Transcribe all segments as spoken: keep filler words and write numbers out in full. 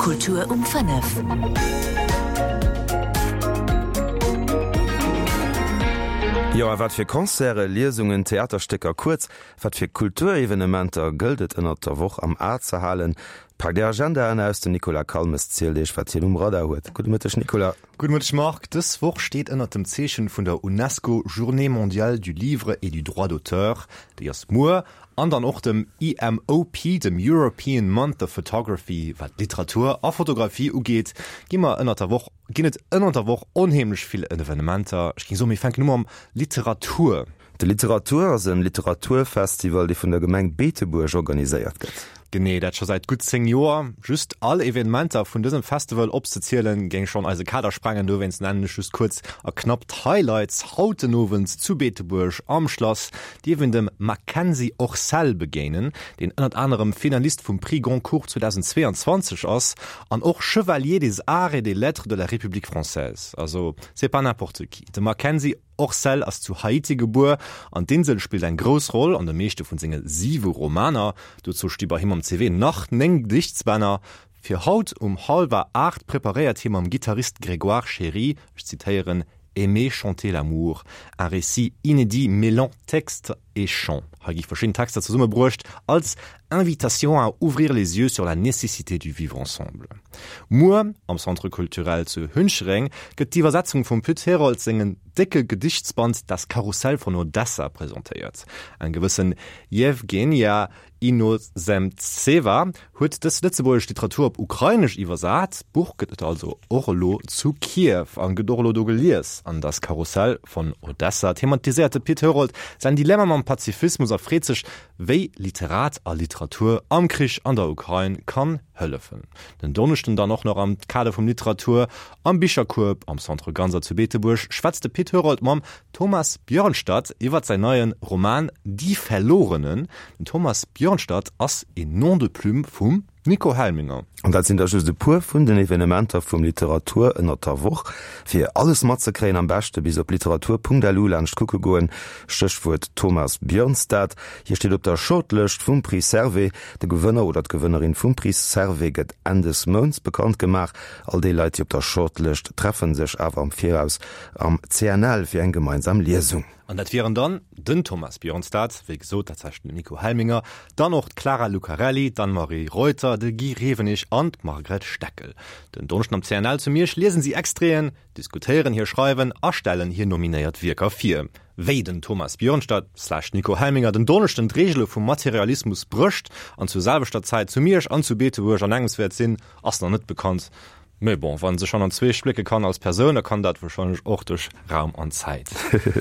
Kultur um fënnef. Jo, a wat fir Concerte, Liesungen, Theaterstécker, kuerz, wat fir Kulturevenementer gëllt et ënnert der Woch am A ze halen? Paakt Är Agendaen aus, den Nicolas Calmes zielt Iech, wat hien um Radar huet. Gudde Mëtteg, Nicolas. Gudde Mëtteg, Marc. Dës Woch steet ënnert dem Zeechen vun der UNESCO Journée mondiale du livre et du droit d'auteur, déi ass muer, an dann och dem EMOP, dem European Month of Photography. Wat Literatur a Fotografie ugeet, gi mer ënnert der Woch, ginn et ënnert der Woch onheemlech vill Evenementer. Ech géing soen, mir fänken u mam Literatur. De Literatur ass en Literaturfestival, dee vun der Gemeng Beetebuerg organiséiert gëtt. Genee, dat scho säit gutt zéng Joer. Just all Evenementer vun dësem Festival opzezielen, géing schonn eise Kader sprengen, dowéinst nennen ech just kuerz a knapp d'Highlights. Haut den Owend zu Beetebuerg am Schlass dierf een dem Makenzy Orcel begéinen, deen ënnert anerem Finalist vum Prix Goncourt zweedausendzweeanzwanzeg ass an och Chevalier des Arts et des Lettres de la République française. Also, c'est pas n'importe qui. De Makenzy Orcel ass zu Haiti gebuer an d'Insel spillt eng grouss Roll an de meeschte vun senge siwe Romaner. Dozou sti bei him am C V nach néng Gediichtsbänner. Fir haut um hallwer aacht preparéiert hie mam Gittarist Grégoire Chéry, ech zitéieren, Aimer chanter l'amour, un récit inédit mêlant texte et chant. Hei gi verschidden Texter zesummebruecht als Invitation à ouvrir les yeux sur la nécessité du vivre ensemble. Muer am Centre culturel zu Hünchereng gëtt d'Iwwersetzung vum Pit Herold sengen décke Gedichtsband Das Karussell von Odessa presentéiert. Eng gewëssen Jewgenia Inozemtseva huet dës lëtzebuergesch Literatur op Ukrainesch iwwersat. D'Buch gëtt et also och elo zu Kiew an gëtt och elo do gelies. An Das Karussell von Odessa thematiséiert de Pit Herold säin Dilemma mam Pazifismus a freet sech, wéi Literat a Literatur am Krich an der Ukrain kann hëllefen. Den Donneschden dann och nach am Kader vum Literatur am Bicherkueb am Centre Ganser zu Beetebuerg schwätzt de Pit Herold mam Thomas Björnstad iwwert säin neie Roman Die Verlorenen. Den Thomas Björnstad ass een Nom de plume vum Nico Helminger. An dat sinn der just e puer vun den Evenementer vum Literatur ënnert der Woch. Fir alles matzekréien am beschte bis op literatur.lu laanscht kucke goen, Stéchwuert Thomas Björnstad. Hie steet op der Shortlëscht vum Prix Servais. De Gewënner oder d'Gewënnerin vum Prix Servais gëtt Enn des Mounts bekannt gemaach. All déi Leit, déi op der Shortlëscht treffe sech awer am Viraus am C N L fir eng gemeinsam Liesung. An dat wieren dann den Thomas Björnstad, wéi gesot, dat heescht den Nico Helminger, dann och d'Clara Lucarelli, d'Anne-Marie Reuter, de Guy Rewenig an d'Margret Steckel. Den Donneschden am C N L zu Miersch liesen si Extraiten, diskutéieren hir Schreiwen a stellen hir nominéiert Wierker vir. Wéi den Thomas Björnstad slash Nico Helminger den Donneschden d'Reegele vum Materialismus brécht an zur selwechter Zäit zu Miersch an zu Beetebuerg an engems wäert sinn, ass nach net bekannt. Mee bon, wann se schonn an zwee splécke kann als Persoun, da kann dat warscheinlech och duerch Raum an Zäit.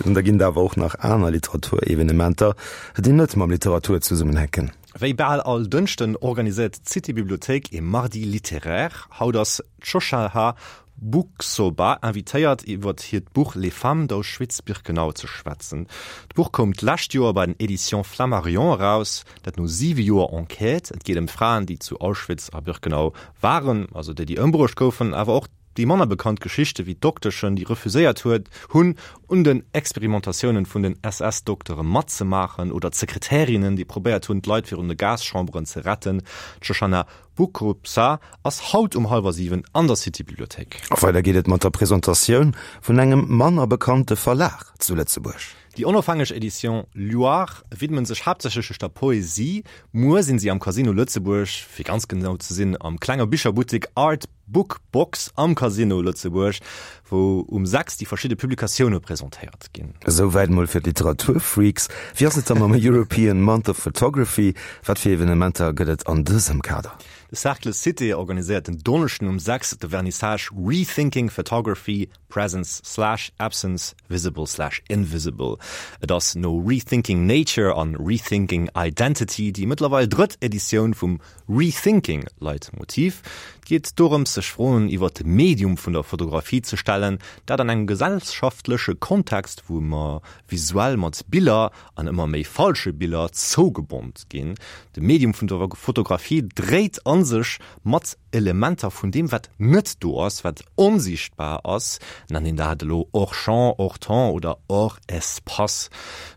An da ginn et awer och nach aner Literaturevenementer, déi net mam Literatur zesummenhänken. Wéi bal all Dënschden organiséiert d'City-Bibliothéik e Mardi littéraire. Haut ass d'Shoshanna Buksoba invitéiert, iwwer hiert Buch Les femmes d'Auschwitz-Birkenau ze schwätzen. D'Buch koum d'lescht Joer bei den Éditions Flammarion eraus, dat no siwe Joer Enquête. Et geet ëm Fraen, déi zu Auschwitz a Birkenau waren, also déi, déi ëmbruecht goufen, awer och déi manner bekannt Geschichte wéi d'Dokteschen, déi refuséiert huet, hunn, un den Experimentatiounen vun den S S-Doktere matzemaachen, oder d'Sekretärinnen, déi probéiert hunn, d'Leit virun de Gaschamberen ze retten. D'Shoshana Bukobza ass haut um hallwer siwen an der City-Bibliothéik. A weider geet et mat der Presentatioun vun engem manner bekannte Verlag zu Lëtzebuerg. Déi onofhängeg Edition Loire widmen sech haaptsächlech der Poesie. Muer sinn si am Casino Lëtzebuerg, fir ganz genau ze sinn am klenge Bicherbuttek Art Book Box am Casino Lëtzebuerg, wou um sechs déi verschidde Publikatioune presentéiert ginn. Esouwäit mol fir d'Literaturfreaks. Wéi ass et da mam European Month of Photography? Wat fir Evenementer gëtt et an dësem Kader? De Cercle Cité organiséiert den Donneschden um sechs de Vernissage Rethinking Photography, Presence slash Absence, Visible slash Invisible. Et ass no Rethinking Nature an Rethinking Identity déi mëttlerweil drëtt Editioun vum Rethinking Leitmotiv. Et geet dorëms, sech Froen iwwer de Medium vun der Fotografie ze stellen, dat an engem gesellschaftleche Kontext, wou mer visuell mat Biller an ëmmer méi falsche Biller zougebommt ginn. De Medium vun der Fotografie dréit an sech mat Elementer vun deem, wat net do ass, wat onsichtbar ass. Nennt een dat elo hors champ, hors temps oder hors espace,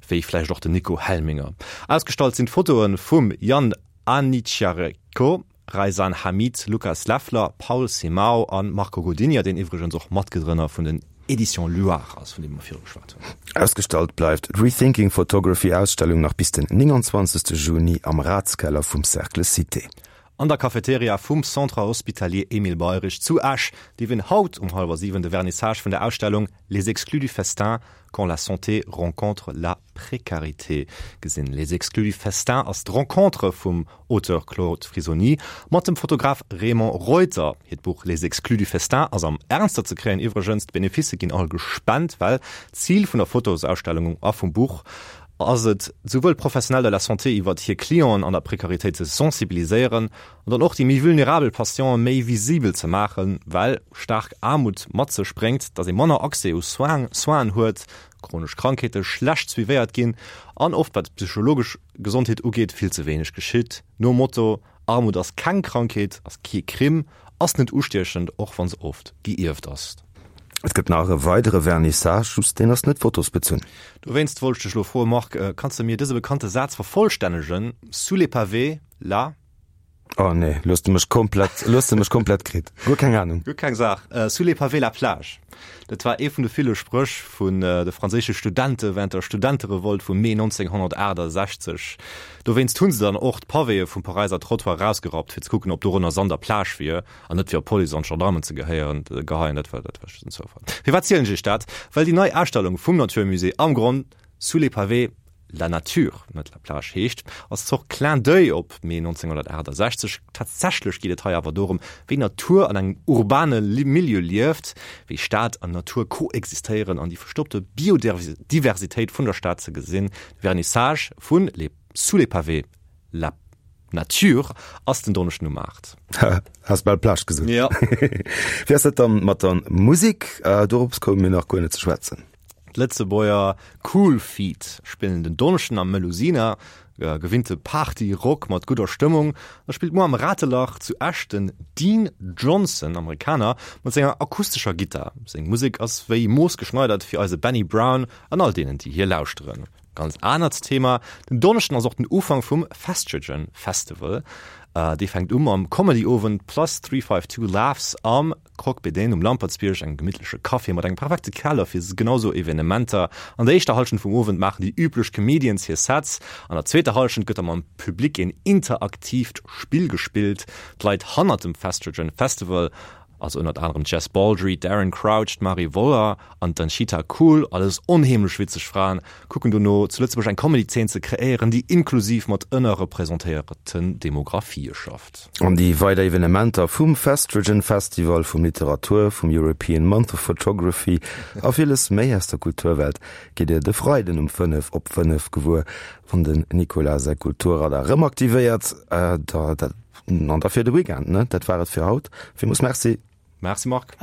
wéi vläicht och den Nico Helminger. Ausgestallt sinn d'Fotoe vum Jan Anichiareko Raysan Hamid, Lukas Leffler, Paul Simao an Marco Godinha, deen iwwregens och Matgrënner vun den Editions Luar ass, vun deem mer viru geschwat hunn. Ausgestallt bleift d'Rethinking Photography Ausstellung nach bis den nénganzwanzegste Juni am Ratskeller vum Cercle Cité. An der Cafeteria vum Centre Hospitalier Emile Beyerich zu Esch dierf een haut um hallwer siwen de Vernissage vun der Ausstellung Les exclus du festin, quand la santé rencontre la précarité gesinn. Les exclus du festin ass d'Rencontre vum Auteur Claude Frisoni mat dem Fotograf Raymond Reuter. Hiert Buch Les exclus du festin ass am Ernster ze kréien. Iwwregens, d'Beneficë ginn all gespent, well d'Zil vun der Fotosausstellung a vum Buch ass et, souwuel d'Professionnels de la santé iwwert hir Clienten an der Prekaritéit ze sensibiliséieren an dann och déi méi vulnerabel Patiente méi visibel ze maachen, well staark Aarmut mat sech bréngt, datt ee manner Accès u Soinen huet, chronesch Krankheete schlecht suivéiert ginn an oft, wat d'psychologesch Gesondheet ugeet, vill ze wéineg geschitt. Nom Motto, Armut ass keng Krankheet, ass kee Crime, ass net ustiechend, och wa se oft gierft ass. Et gëtt nach e weidere Vernissage, just deen ass net fotosbezunn. Dowéinst wollt ech dech elo froen, Marc, kanns de mir dëse bekannte Saz vervollstännegen, Sous les pavés, la. Oh nee, lo hues de mech komplett, lo hues de mech komplett kritt. Guer keng Ahnung. Guer keng Saach. Sous les pavés, la plage. Dat war ee vun de ville Spréch vun de franséische Studente wärend der Studenterevolt vum Mee nonzénghonnertaachtasechzeg. Dowéinst hu se dann och d'Pavéë vum Paräiser Trottoir erausgerappt, fir ze kucken, ob dorënner Sand a Plage wier, an net fir op d'Police an d'Gendarmen ze gehéieren, geheien. Dat war, dat war just en Zoufall. Firwat zielen ech iech dat? Well déi nei Ausstellung vum Natur Musée am Gronn Sous les pavés, la nature, net la plage heescht, ass Zort Clin d'oeil op Mee nonzénghonnertaachtasechzeg. Tatsächlech geet et hei awer dorëm, wéi Natur an engem urbane Milieu lieft, wéi Stad an Natur koexistéieren an déi verstoppte Biodiversitéit vun der Stad ze gesinn. De Vernissage vun les Sous les pavés, la nature ass den Donneschden um aacht. Has bal Plage gesot. Ja. Wéi ass dat dann mat der Musek? Dorops koume mir nach guer net ze schwätzen. D'Lëtzebuerger Cool Feet spillen den Donneschden am Melusina, gewinnte Party-Rock mat gudder Stëmmung. Da spillt muer am Ratelach zu Esch den Dean Johnson, Amerikaner, mat senger akustescher Gittar. Seng Musek ass wéi moossgeschneidert fir eise Benny Brown an all deenen, déi hie lauschteren. Ganz anert Thema, Den Donneschden ass och den Ufank vum Festrogen Festival. Dee fänkt u mam Comedy-Owend Plus Three Five Two Laughs am Croque Bédaine um Lampertsbierg, engem gemittleche Café mat engem perfekte Keller fir genau sou Evenementer. An der éischter Hallschent vum Owend maachen déi üblech Comedians hir Sets, an der zweeter Hallschent gëtt da mam Public een interaktiivt Spill gespillt. D'Leit hannert dem Festrogen Festival Also ënnert anerem d'Jess Baldry, d'Erin Crouch, d'Marie Woller an d'Anchita Kool, alles onheemlech witzeg Fraen, kucken dono, zu Lëtzebuerg eng Comedy-Zeen ze kreéieren, déi inklusiv mat ënnerrepresentéierten Demografië schafft. An déi weider Evenementer vum Festrogen Festival, vum Literatur, vum European Month of Photography a villes méi aus der Kulturwelt gitt Dir de Freiden um fënnef op fënnef gewuer, wann den Nicolas säi Kulturradar erëm aktivéiert. Da dat. An da fir de Weekend, ne? Dat war et fir haut. Villmools Merci. Merci Marc.